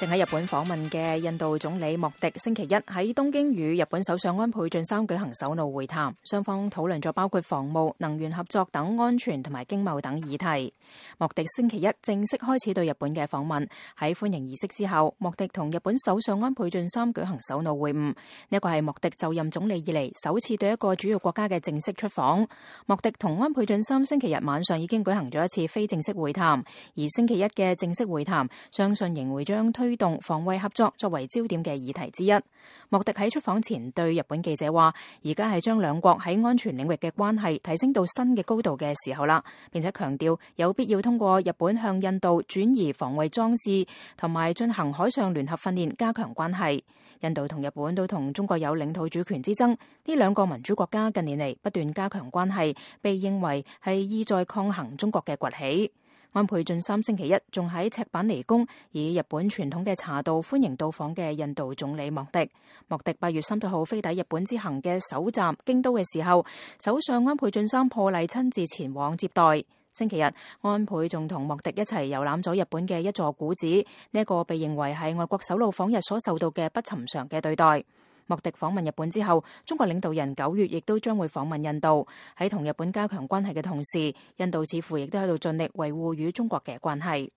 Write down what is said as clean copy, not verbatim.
正喺日本訪問嘅印度總理莫迪星期一喺東京與日本首相安倍晉三舉行首腦會談，雙方討論咗包括防務、能源合作等安全同埋經貿等議題。莫迪星期一正式開始對日本嘅訪問，喺歡迎儀式之後，莫迪同日本首相安倍晉三舉行首腦會晤。呢個係莫迪就任總理以嚟首次對一個主要國家嘅正式出訪。莫迪同安倍晉三星期日晚上已經舉行咗一次非正式會談，而星期一嘅正式會談相信仍會將推動防衛合作作為焦點嘅議題之一。莫迪喺出訪前對日本記者話，而家係將兩國喺安全領域嘅關係提升到新嘅高度嘅時候啦，並且強調有必要通過日本向印度轉移防衛裝置同埋進行海上聯合訓練加強關係。印度同日本都同中國有領土主權之爭，呢兩個民主國家近年嚟不斷加強關係，被認為係意在抗衡中國嘅崛起。安倍晉三星期一仲喺赤坂離宮以日本傳統嘅茶道歡迎到訪嘅印度總理莫迪。莫迪8月30號飛抵日本之行嘅首站京都嘅時候，首相安倍晉三破例親自前往接待。星期日，安倍仲同莫迪一齊遊覽咗日本嘅一座古寺，呢一個被認為係外國首腦訪日所受到嘅不尋常嘅對待。莫迪訪問日本之後，中國領導人9月亦都將會訪問印度。喺同日本加強關係嘅同時，印度似乎亦都喺度盡力維護與中國嘅關係。